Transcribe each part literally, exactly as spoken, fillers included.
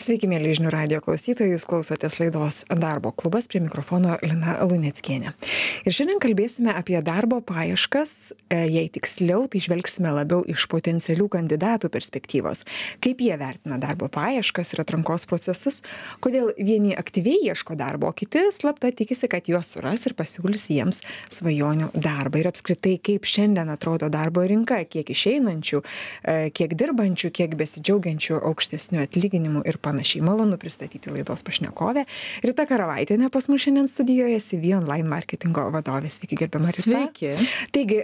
Sveiki, mėly žinių radijo klausytojai, jūs klausotės laidos Darbo klubas, prie mikrofono Lina Luneckienė. Ir šiandien kalbėsime apie darbo paieškas, jei tiksliau, tai žvelgsime labiau iš potencialių kandidatų perspektyvos. Kaip jie vertina darbo paieškas ir atrankos procesus, kodėl vieni aktyviai ieško darbo, o kiti slapta tikisi, kad juos suras ir pasiūlys jiems svajonių darbą. Ir apskritai, kaip šiandien atrodo darbo rinka, kiek išeinančių, kiek dirbančių, kiek besidžiaugiančių aukštesnių atlyginimų ir panašiai. Malonu pristatyti laidos pašnekovę. Rita Karavaitienė pas mus šiandien studijoje, C V Online marketingo vadovė. Sveiki, gerbiama Rita. Sveiki. Taigi,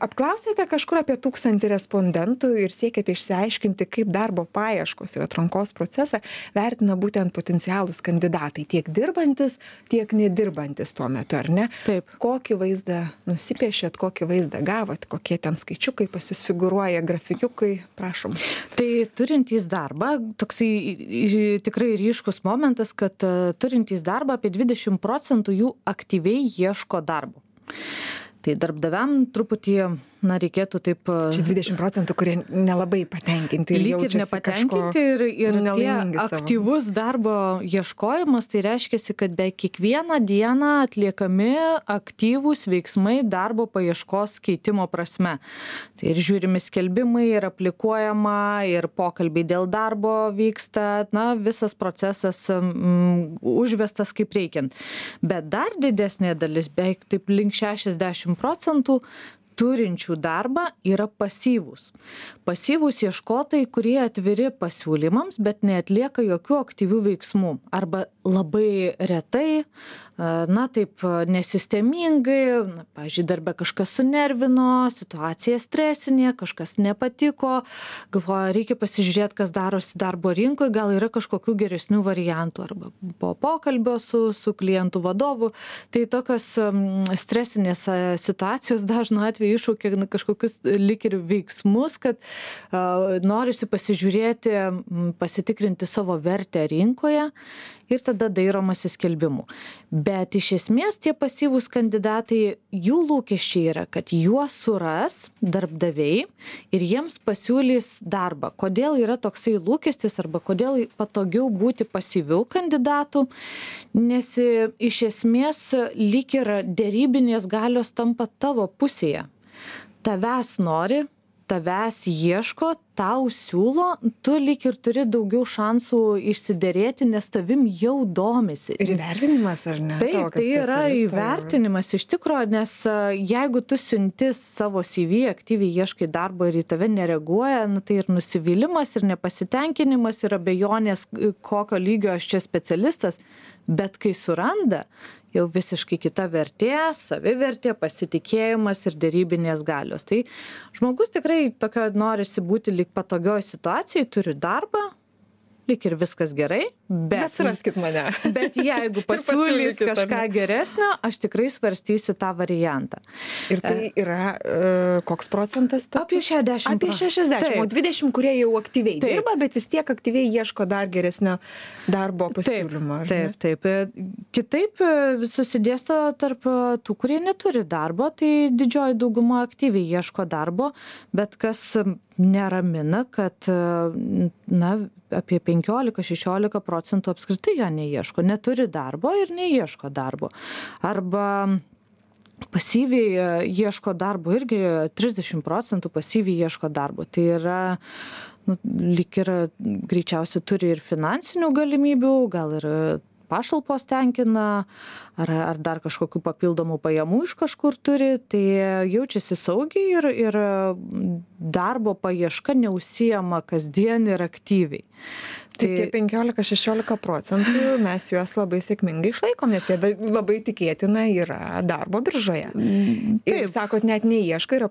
apklausėte kažkur apie tūkstantį respondentų ir siekėte išsiaiškinti, kaip darbo paieškos ir atrankos procesą vertina būtent potencialūs kandidatai, tiek dirbantis, tiek nedirbantis tuo metu, ar ne? Taip. Kokį vaizdą nusipiešėt, kokį vaizdą gavot, kokie ten skaičiukai pas jūs figūruoja, grafikiukai, prašom. Tai turintys darbą, toksai tikrai ryškus momentas, kad turintys darbą apie dvidešimt procentų jų aktyviai ieško darbo. Tai darbdaviam truputį, na, reikėtų taip... Čia dvidešimt procentų, kurie nelabai patenkinti ir lyg ir nepatenkinti ir, ir tie aktyvus darbo ieškojimas, tai reiškia, kad be kiekvieną dieną atliekami aktyvūs veiksmai darbo paieškos keitimo prasme. Tai ir žiūrimi skelbimai, ir aplikuojama, ir pokalbiai dėl darbo vyksta, na, visas procesas mm, užvestas kaip reikiant. Bet dar didesnė dalis, beveik taip link šešiasdešimt procentų, turinčių darbą yra pasyvūs. Pasyvūs ieškotojai, kurie atviri pasiūlymams, bet neatlieka jokių aktyvių veiksmų. Arba labai retai, na taip nesistemingai, na, pavyzdžiui, darbe kažkas sunervino, situacija stresinė, kažkas nepatiko, galvoja, reikia pasižiūrėti, kas darosi darbo rinkoje, gal yra kažkokių geresnių variantų, arba po pokalbio su, su klientų vadovu. Tai tokios stresinės situacijos dažnu atveju iššaukia kažkokius lyg ir veiksmus, kad uh, norisi pasižiūrėti, pasitikrinti savo vertę rinkoje ir tada dairomasi skelbimų. Bet iš esmės tie pasyvūs kandidatai, jų lūkesčiai yra, kad juos suras darbdaviai ir jiems pasiūlys darbą. Kodėl yra toksai lūkestis arba kodėl patogiau būti pasyvių kandidatų, nes iš esmės lyg ir dėrybinės galios tampa tavo pusėje. Tavęs nori, tavęs ieško, tau siūlo, tu lyg ir turi daugiau šansų išsiderėti, nes tavim jau domisi. Ir įvertinimas, ar ne? Taip, tai yra įvertinimas iš tikrųjų, nes jeigu tu siunti savo C V, aktyviai ieškai darbo ir į tave nereaguoja, nu, tai ir nusivylimas, ir nepasitenkinimas, ir abejonės, kokio lygio aš čia specialistas, bet kai suranda, jau visiškai kita vertė, savivertė, pasitikėjimas ir dėrybinės galios. Tai žmogus tikrai tokio norisi būti lyg patogioj situacijai, turi darbą, lyg ir viskas gerai, bet... Bet suraskit mane. Bet jeigu pasiūlys kažką geresnio, aš tikrai svarstysiu tą variantą. Ir tai yra uh, koks procentas? To? Apie šešiasdešimt. Apie šešiasdešimt, o dvidešimt, kurie jau aktyviai taip. dirba, bet vis tiek aktyviai ieško dar geresnio darbo pasiūlymo. Taip, taip, taip. Kitaip susidėsto tarp tų, kurie neturi darbo, tai didžioji dauguma aktyviai ieško darbo, bet kas neramina, kad na, apie penkiolika šešiolika procentų apskritai jo neieško, neturi darbo ir neieško darbo. Arba pasyviai ieško darbo, irgi trisdešimt procentų pasyviai ieško darbo. Tai yra, nu, lyg ir greičiausiai turi ir finansinių galimybių, gal ir pašalpos tenkina, ar, ar dar kažkokių papildomų pajamų iš kažkur turi, tai jaučiasi saugiai ir, ir darbo paieška neužsiema kasdien ir aktyviai. Tai tie penkiolika šešiolika procentų mes juos labai sėkmingai išlaikom, nes jie labai tikėtina yra darbo biržoje. Taip. Ir sakot, net neieškai,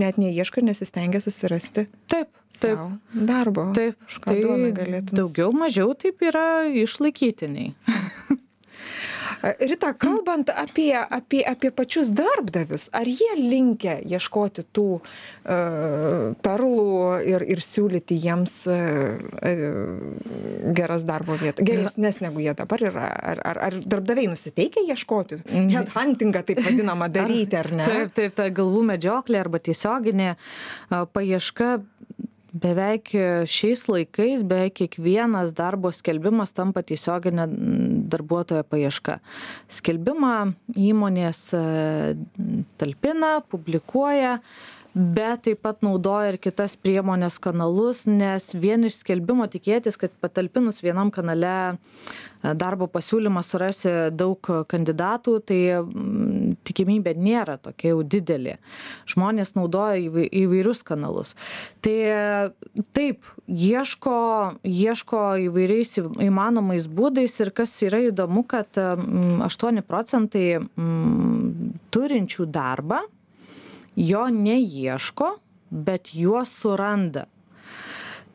net neieškai ir nesistengia susirasti taip, taip. darbo. Taip, tai daugiau mažiau taip yra išlaikytiniai. Rita, kalbant apie, apie, apie pačius darbdavius, ar jie linkę ieškoti tų uh, perlų ir, ir siūlyti jiems uh, uh, geras darbo vietas, geresnės negu jie dabar yra? Ar, ar, ar darbdaviai nusiteikia ieškoti? Headhuntingą taip vadinamą daryti, ar ne? Taip, taip, ta galvų medžioklė arba tiesioginė uh, paieška beveik šiais laikais beveik kiekvienas darbo skelbimas tampa tiesioginė darbuotojo paieška. Skelbimą įmonės talpina, publikuoja, bet taip pat naudoja ir kitas priemonės kanalus, nes vien iš skelbimo tikėtis, kad patalpinus vienam kanale darbo pasiūlymą surasi daug kandidatų, tai tikimybė nėra tokia jau didelė. Žmonės naudoja įvairius kanalus. Tai taip, ieško, ieško įvairiais įmanomais būdais ir kas yra įdomu, kad aštuoni procentai turinčių darbą jo neieško, bet juos suranda.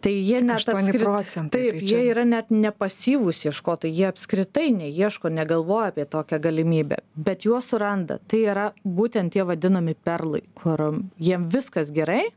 Tai jie net apskritai, taip, jie yra net nepasyvūs ieškotojai, jie apskritai neieško, negalvoja apie tokią galimybę, bet juos suranda. Tai yra būtent tie vadinami perlai, kur jiem viskas gerai,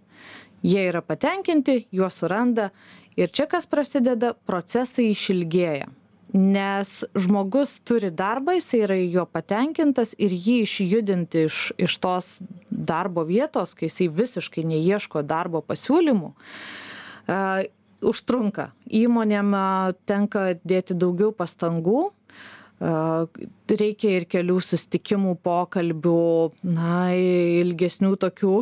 jie yra patenkinti, juos suranda ir čia kas prasideda, procesai išilgėja. Nes žmogus turi darbą, jis yra jo patenkintas ir jį išjudinti iš, iš tos darbo vietos, kai jisai visiškai neieško darbo pasiūlymų, uh, užtrunka. Įmonėm uh, tenka dėti daugiau pastangų, uh, reikia ir kelių susitikimų, pokalbių, na, ilgesnių tokių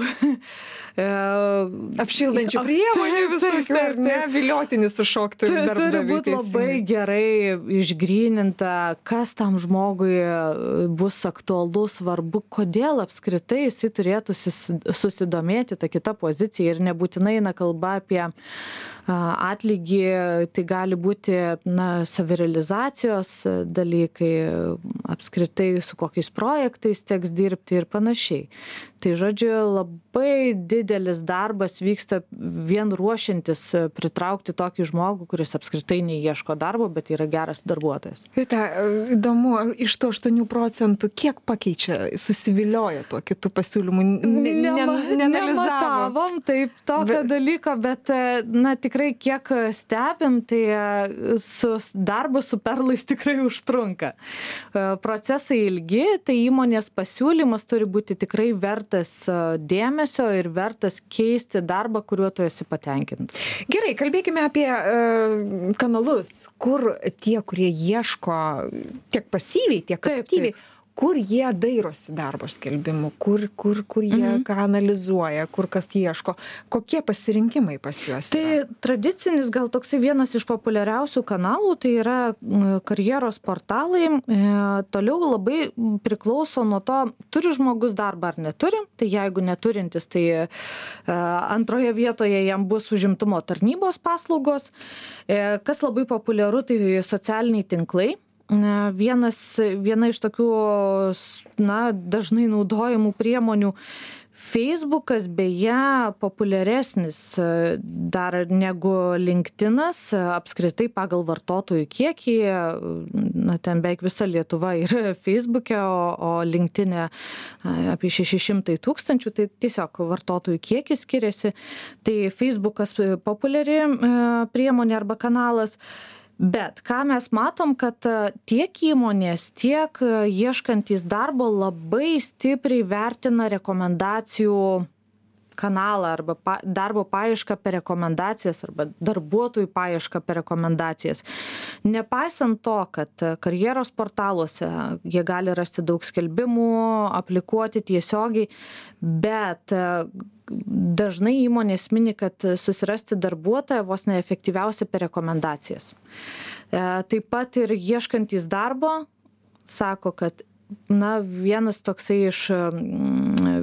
apšildančių priemonių visokių, ar ne, viliotinis sušokti darbdaviui. Turi būti labai gerai išgryninta, kas tam žmogui bus aktualu, svarbu, kodėl apskritai jisai turėtų susidomėti tą kitą poziciją ir nebūtinai eina kalba apie atlygį, tai gali būti, na, savirealizacijos dalykai, apskritai su kokiais projektais teks dirbti ir panašiai. Tai žodžiu, labai didelis darbas vyksta vien ruošiantis pritraukti tokį žmogų, kuris apskritai neieško darbo, bet yra geras darbuotojas. Rita, įdomu, iš to aštuonių procentų kiek pakeičia, susivilioja tuo kitų pasiūlymų? Nematavom taip tokio bet... dalyko, bet, na, tikrai kiek stebim, tai su darbu su perlais tikrai užtrunka. Procesai ilgi, tai įmonės pasiūlymas turi būti tikrai vertas dėmesio ir vertas keisti darbą, kuriuo tu esi patenkintas. Gerai, kalbėkime apie uh, kanalus, kur tie, kurie ieško tiek pasyviai, tiek taip, aktyviai, taip. Kur jie dairosi darbo skelbimų, kur, kur, kur jie mhm. ką analizuoja, kur kas ieško, kokie pasirinkimai pas juos tai yra? Tai tradicinis, gal toksai vienas iš populiariausių kanalų, tai yra karjeros portalai. E, toliau labai priklauso nuo to, turi žmogus darbą ar neturi. Tai jeigu neturintis, tai e, antroje vietoje jam bus užimtumo tarnybos paslaugos. E, kas labai populiaru, tai socialiniai tinklai. Vienas, viena iš tokių, na, dažnai naudojamų priemonių. Facebookas beje populiaresnis dar negu LinkedInas, apskritai pagal vartotojų kiekį, na, ten beveik visa Lietuva yra Facebook'e, o, o LinkedIn'e apie šeši šimtai tūkstančių, tai tiesiog vartotojų kiekis skiriasi. Tai Facebookas populiari priemonė arba kanalas. Bet ką mes matom, kad tiek įmonės, tiek ieškantys darbo labai stipriai vertina rekomendacijų kanalą arba pa, darbo paiešką per rekomendacijas arba darbuotojų paiešką per rekomendacijas. Nepaisant to, kad karjeros portaluose jie gali rasti daug skelbimų, aplikuoti tiesiogiai, bet dažnai įmonės mini, kad susirasti darbuotoją vos neefektyviausia per rekomendacijas. Taip pat ir ieškantys darbo sako, kad na, vienas toksai iš,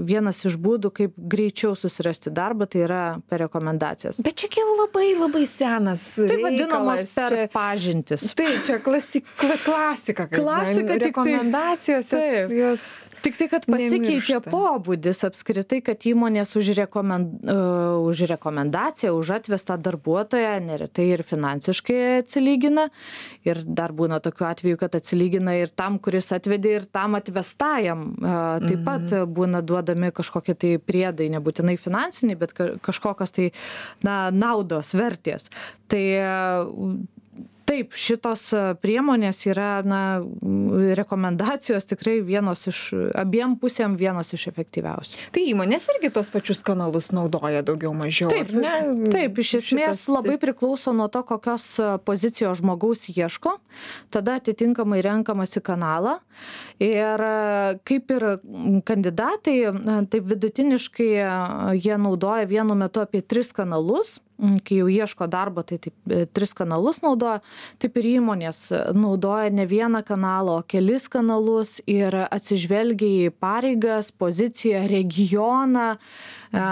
vienas iš būdų, kaip greičiau susirasti darbą, tai yra per rekomendacijas. Bet čia jau labai, labai senas tai vadinamas per čia, pažintis. Tai čia klasik, klasika. Klasika, tik rekomendacijos, tai, jos tik tai, kad pasikeitė pobūdis apskritai, kad įmonės už, rekomend, uh, už rekomendaciją, už atvestą darbuotoją neretai ir finansiškai atsilygina. Ir dar būna tokių atvejų, kad atsilygina ir tam, kuris atvedė, ir tam atvestajam. Taip pat būna duodami kažkokie tai priedai, nebūtinai finansiniai, bet kažkokios tai, na, naudos, vertės. Tai taip, šitos priemonės yra, na, rekomendacijos tikrai vienos iš, abiem pusėm vienos iš efektyviausių. Tai įmonės irgi tos pačius kanalus naudoja daugiau mažiau, taip, ar ne? Taip, iš esmės šitas... labai priklauso nuo to, kokios pozicijos žmogaus ieško, tada atitinkamai renkamasi kanalą ir kaip ir kandidatai, taip vidutiniškai jie naudoja vienu metu apie tris kanalus. Kai jau ieško darbo, tai taip, tris kanalus naudoja, taip ir įmonės naudoja ne vieną kanalą, o kelis kanalus ir atsižvelgia į pareigas, poziciją, regioną, a,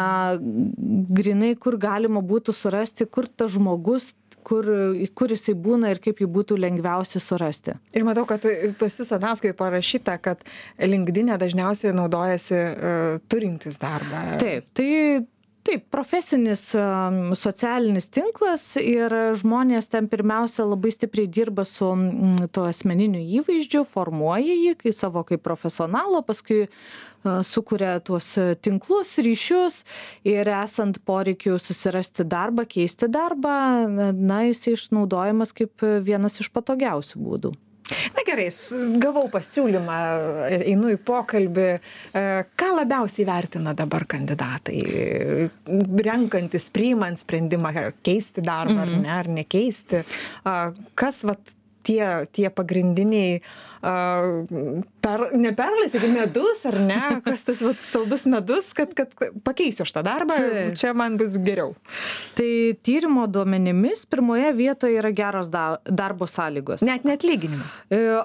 grinai, kur galima būtų surasti, kur tas žmogus, kur, kur jisai būna ir kaip jį būtų lengviausia surasti. Ir matau, kad pas jūs ataskaitoje parašyta, kad LinkedIn dažniausiai naudojasi uh, turintys darbą. Taip, tai Taip, profesinis socialinis tinklas ir žmonės ten pirmiausia labai stipriai dirba su to asmeniniu įvaizdžiu, formuoja jį kaip savo kaip profesionalo, paskui sukuria tuos tinklus, ryšius ir esant poreikiu susirasti darbą, keisti darbą, na, jis išnaudojamas kaip vienas iš patogiausių būdų. Na gerai, gavau pasiūlymą, einu į pokalbį. Ką labiausiai vertina dabar kandidatai, renkantis, priimant sprendimą, ar keisti darbą, mm-hmm. ar ne, ar nekeisti? Kas vat, tie, tie pagrindiniai, per, ne perlai, sakykime, medus, ar ne? Kas tas vat, saldus medus, kad, kad pakeisiu šitą darbą, čia man bus geriau. Tai tyrimo duomenimis pirmoje vietoje yra geros darbo sąlygos. Net neatlyginimas.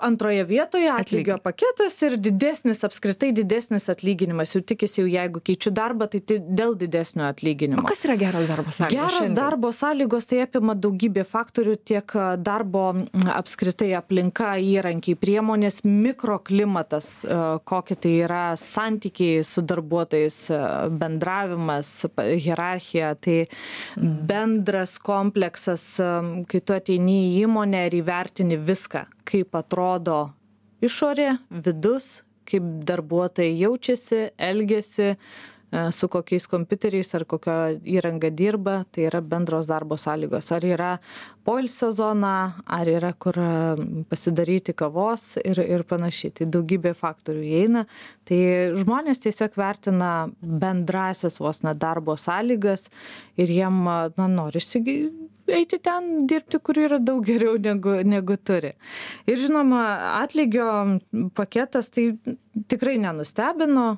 Antroje vietoje atlygio paketas ir didesnis, apskritai didesnis atlyginimas. Jau tikisi, jau jeigu keičiu darbą, tai dėl didesnio atlyginimo. O kas yra geros darbo sąlygos? Geros šiandien? Darbo sąlygos tai apima daugybė faktorių, tiek darbo apskritai aplinka, įrankiai, priemonės, mikroklimatas, kokie tai yra santykiai su darbuotojais, bendravimas, hierarchija, tai bendras kompleksas, kai tu ateini į įmonę ir įvertini viską, kaip atrodo išorė, vidus, kaip darbuotojai jaučiasi, elgiasi, su kokiais kompiuteriais ar kokio įranga dirba, tai yra bendros darbo sąlygos. Ar yra poilsio zona, ar yra kur pasidaryti kavos ir, ir panašiai. Tai daugybė faktorių įeina. Tai žmonės tiesiog vertina bendrasias vos na darbo sąlygas ir jiem na, norisi eiti ten dirbti, kur yra daug geriau negu, negu turi. Ir žinoma, atlygio paketas tai tikrai nenustebino.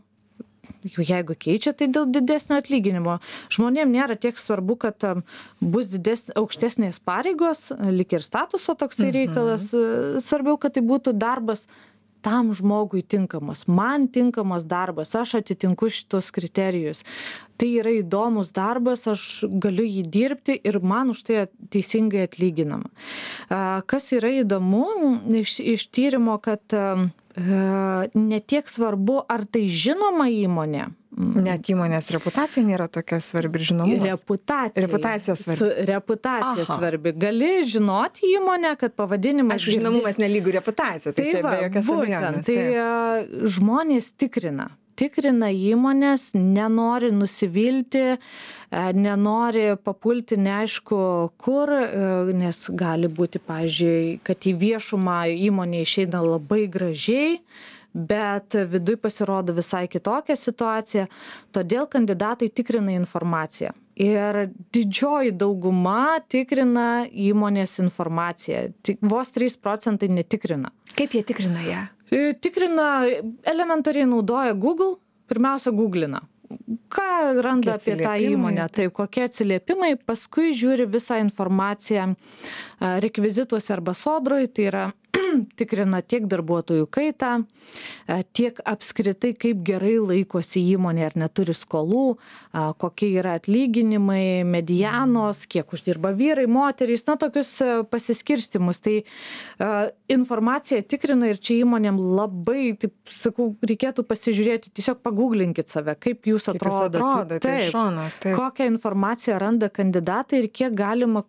Jeigu keičia, tai dėl didesnio atlyginimo. Žmonėm nėra tiek svarbu, kad bus dides, aukštesnės pareigos, lyg ir statuso toksai reikalas. Mhm. Svarbiau, kad tai būtų darbas tam žmogui tinkamas, man tinkamas darbas, aš atitinku šitos kriterijus. Tai yra įdomus darbas, aš galiu jį dirbti ir man už tai teisingai atlyginama. Kas yra įdomu iš, iš tyrimo, kad ne tiek svarbu, ar tai žinoma įmonė. Net įmonės reputacija nėra tokia svarbi ir žinomumas. Reputacija. Reputacija svarbi. Su, reputacija Aha. svarbi. Gali žinoti įmonę, kad pavadinimas... Aš žinomumas nelygų reputacija, tai, tai čia va, be jokios abejonės. Tai taip. Žmonės tikrina. Tikrina įmonės, nenori nusivilti, nenori papulti neaišku kur, nes gali būti, pavyzdžiui, kad į viešumą įmonė išeina labai gražiai, bet viduj pasirodo visai kitokia situacija, todėl kandidatai tikrina informaciją. Ir didžioji dauguma tikrina įmonės informaciją, tik vos trys procentai netikrina. Kaip jie tikrina ją? Tikrina, elementariai naudoja Google, pirmiausia googlina. Ką randa apie tą įmonę, tai kokie atsiliepimai, paskui žiūri visą informaciją rekvizituose arba sodroj, tai yra tikrina tiek darbuotojų kaitą, tiek apskritai kaip gerai laikosi įmonė, ar neturi skolų, kokie yra atlyginimai, medianos, kiek uždirba vyrai, moterys, na tokius pasiskirstimus. Tai informaciją tikrina ir čia įmonėm labai, taip sakau, reikėtų pasižiūrėti, tiesiog pagūglinkit save, kaip jūs atrodote. Atrodo, taip, taip, šono, taip. Kokią informaciją randa kandidatai ir kiek galima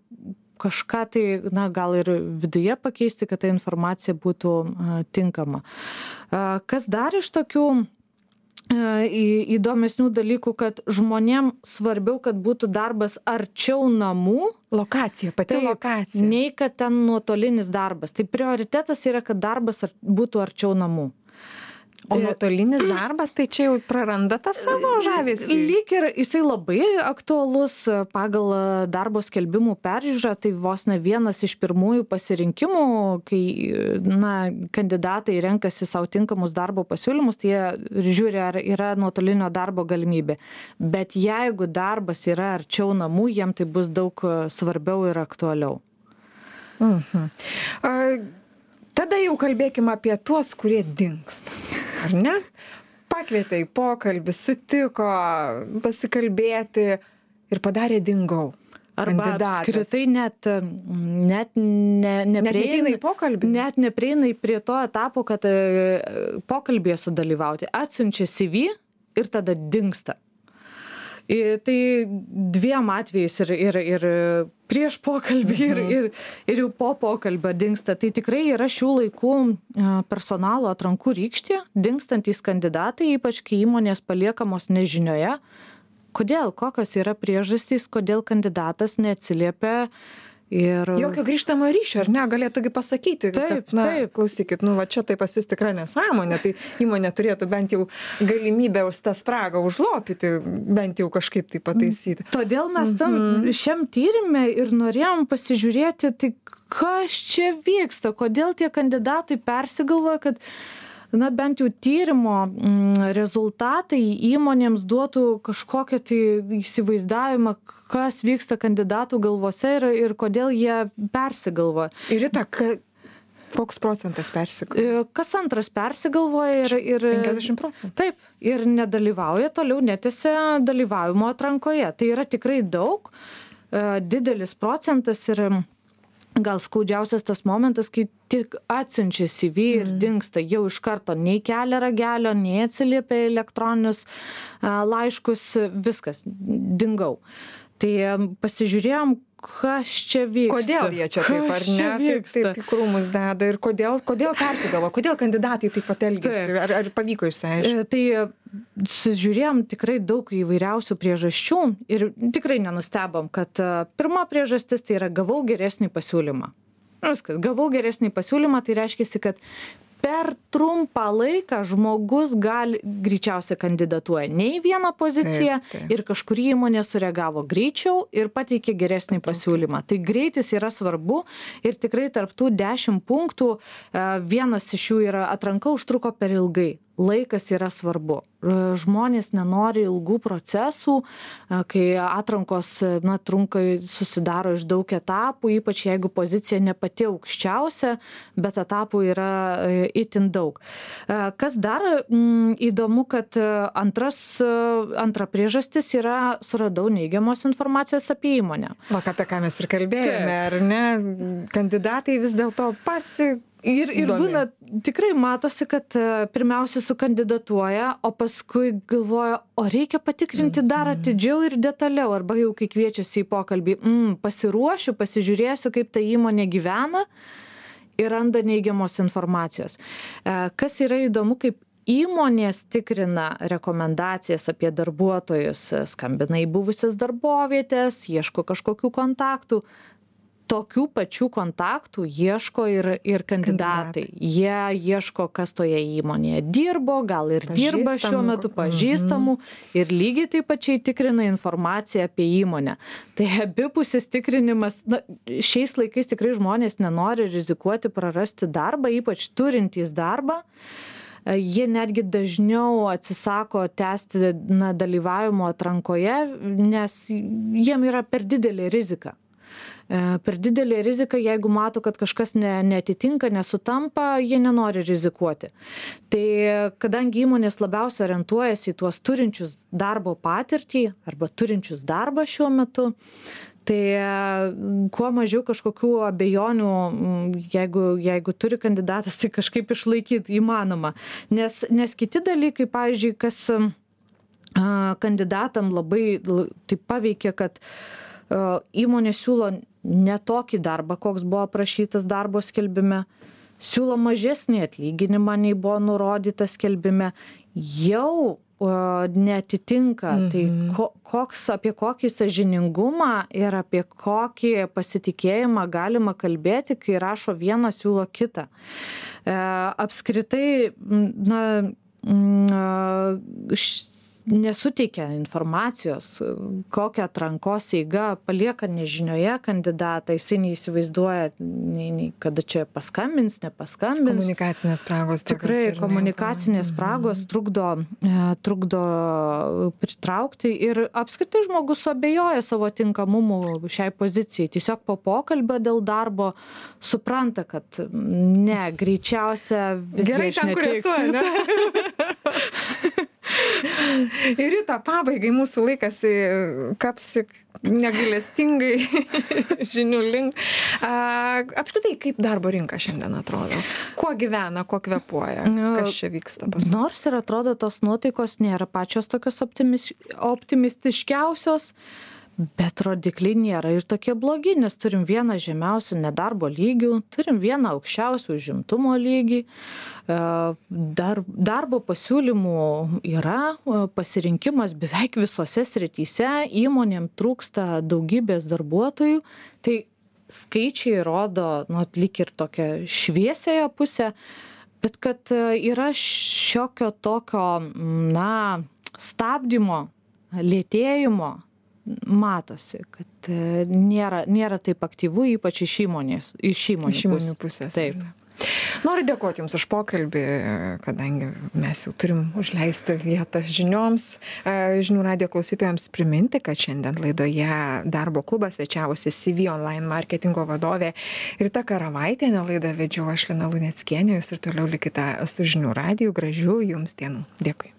kažką tai, na, gal ir viduje pakeisti, kad ta informacija būtų a, tinkama. A, kas dar iš tokių įdomesnių dalykų, kad žmonėm svarbiau, kad būtų darbas arčiau namų. Lokacija, pati tai, lokacija. Nei kad ten nuotolinis darbas. Tai prioritetas yra, kad darbas būtų arčiau namų. O nuotolinis darbas, tai čia jau praranda tą savo žavesį. Lyg ir jisai labai aktualus pagal darbo skelbimų peržiūrą, tai vos ne vienas iš pirmųjų pasirinkimų, kai na, kandidatai renkasi savo tinkamus darbo pasiūlymus, tai jie žiūri, ar yra nuotolinio darbo galimybė. Bet jeigu darbas yra arčiau namų, jiem tai bus daug svarbiau ir aktualiau. Mhm. A, tada jau kalbėkime apie tuos, kurie dingsta. Ar ne? Pakvietė į pokalbį, sutiko pasikalbėti ir padarė dingau. Arba apskritai net, net, ne, neprieina, į pokalbį. Net neprieina prie to etapo, kad pokalbėje sudalyvauti. Atsiunčia C V ir tada dingsta. Tai dviem atvejais ir, ir, ir prieš pokalbį ir, ir, ir jau po pokalbio dingsta. Tai tikrai yra šių laikų personalo atrankų rykštė, dingstantys kandidatai, ypač kai įmonės paliekamos nežinioje. Kodėl? Kokios yra priežastys, kodėl kandidatas neatsiliepia? Ir... Jokio grįžtamo ryšio, ar ne, galėtųgi pasakyti, taip, kad, na, taip. Klausykit, nu, va čia tai pas jūs tikra nesąmonė, tai įmonė turėtų bent jau galimybę už tą spragą užlopyti, bent jau kažkaip tai pataisyti. Todėl mes tam mm-hmm. šiam tyrime ir norėjom pasižiūrėti, tai kas čia vyksta, kodėl tie kandidatai persigalvoja, kad na, bent jau tyrimo rezultatai įmonėms duotų kažkokią tai įsivaizdavimą, kas vyksta kandidatų galvose ir, ir kodėl jie persigalvoja. Ir Rita, koks procentas persigalvoja? Kas antras persigalvoja ir... ir penkiasdešimt procentų. Taip, ir nedalyvauja, toliau netęsia dalyvavimo atrankoje. Tai yra tikrai daug, didelis procentas ir... Gal skaudžiausias tas momentas, kai tik atsiunčia C V ir mm. dingsta, jau iš karto nei kelia ragelio, nei atsiliepia elektroninius a, laiškus, viskas, dingau. Tai pasižiūrėjom, kas čia vyksta. Kodėl jie čia taip, ar ne? Taip, taip, taip krūmus deda ir kodėl, kodėl persigalvo, kodėl kandidatai taip pat elgėsi, ar, ar pavyko išsiaiškinti? Tai žiūrėjom tikrai daug įvairiausių priežasčių ir tikrai nenustebom, kad pirma priežastis tai yra gavau geresnį pasiūlymą. Viskas, gavau geresnį pasiūlymą, tai reiškia, kad per trumpą laiką žmogus gali greičiausiai kandidatuoja ne į vieną poziciją taip, taip. Ir kažkurį įmonė sureagavo greičiau ir pateikė geresnį pasiūlymą. Tai greitis yra svarbu ir tikrai tarp tų dešimt punktų vienas iš jų yra atranka užtruko per ilgai. Laikas yra svarbu. Žmonės nenori ilgų procesų, kai atrankos na, trunka susidaro iš daug etapų, ypač jeigu pozicija ne pati aukščiausia, bet etapų yra itin daug. Kas dar m, įdomu, kad antras, antra priežastis yra suradau neigiamos informacijos apie įmonę. Va, apie ką mes ir kalbėjome, ar ne? Kandidatai vis dėlto pasi... Ir, ir būna, tikrai matosi, kad pirmiausia sukandidatuoja, o paskui galvoja, o reikia patikrinti dar atidžiau ir detaliau, arba jau kai kviečiasi į pokalbį, mm, pasiruošiu, pasižiūrėsiu, kaip ta įmonė gyvena ir randa neigiamos informacijos. Kas yra įdomu, kaip įmonės tikrina rekomendacijas apie darbuotojus, skambina į buvusias darbovietės, ieško kažkokių kontaktų. Tokių pačių kontaktų ieško ir, ir kandidatai. kandidatai. Jie ieško, kas toje įmonėje dirbo, gal ir dirba šiuo metu pažįstamų mm-hmm. ir lygiai taip pačiai tikrina informaciją apie įmonę. Tai abipusis tikrinimas, na, šiais laikais tikrai žmonės nenori rizikuoti prarasti darbą, ypač turintys darbą. Jie netgi dažniau atsisako tęsti na, dalyvavimo atrankoje, nes jiem yra per didelė rizika. Per didelė rizika, jeigu mato, kad kažkas ne, neatitinka, nesutampa, jie nenori rizikuoti. Tai kadangi įmonės labiausiai orientuojasi į tuos turinčius darbo patirtį arba turinčius darbą šiuo metu, tai kuo mažiau kažkokių abejonių, jeigu, jeigu turi kandidatas, tai kažkaip išlaikyti įmanoma. Nes, nes kiti dalykai, pavyzdžiui, kas kandidatam labai taip paveikia, kad įmonė siūlo ne tokį darbą, koks buvo aprašytas darbo skelbime, siūlo mažesnį atlyginimą, nei buvo nurodyta skelbime, jau neatitinka. Mhm. Tai ko, koks, apie kokį sąžiningumą ir apie kokį pasitikėjimą galima kalbėti, kai rašo vieną, siūlo kitą. E, apskritai, na, š, nesuteikia informacijos, kokią atrankos eiga palieka nežinioje kandidatą, jisai neįsivaizduoja, nei, nei, kada čia paskambins, nepaskambins. Komunikacinės spragos. Tikrai, komunikacinės spragos trukdo, trukdo pritraukti ir apskritai žmogus abejoja savo tinkamumu šiai pozicijai. Tiesiog po pokalbio dėl darbo supranta, kad ne, greičiausia visgi aš neteiksiu. Ir į tą pabaigai mūsų laikas kapsi negailestingai žinių link. A, apskritai, kaip darbo rinka šiandien atrodo? Kuo gyvena, kuo kvėpuoja? Kas čia vyksta pas mus? Nors ir atrodo, tos nuotaikos nėra pačios tokios optimis, optimistiškiausios, bet rodikliai nėra ir tokie blogi, nes turim vieną žemiausių nedarbo lygių, turim vieną aukščiausių užimtumo lygį, dar, darbo pasiūlymų yra, pasirinkimas beveik visose srityse, įmonėm trūksta daugybės darbuotojų, tai skaičiai rodo, nu, lyg ir tokią šviesiąją pusę, bet kad yra šiokio tokio, na, stabdymo, lėtėjimo, matosi, kad nėra, nėra taip aktyvu, ypač iš įmonės, iš įmonių, iš įmonių pusės. Taip. Noriu dėkoti Jums už pokalbį, kadangi mes jau turim užleistą vietą žinioms. Žinių radijo klausytojams priminti, kad šiandien laidoje Darbo klubas svečiavosi C V Online marketingo vadovė Rita Karavaitienė. Laidą vedžiau aš, Lina Luneckienė. Jūs ir toliau likite su Žinių radiju. Gražių Jums dienų. Dėkui.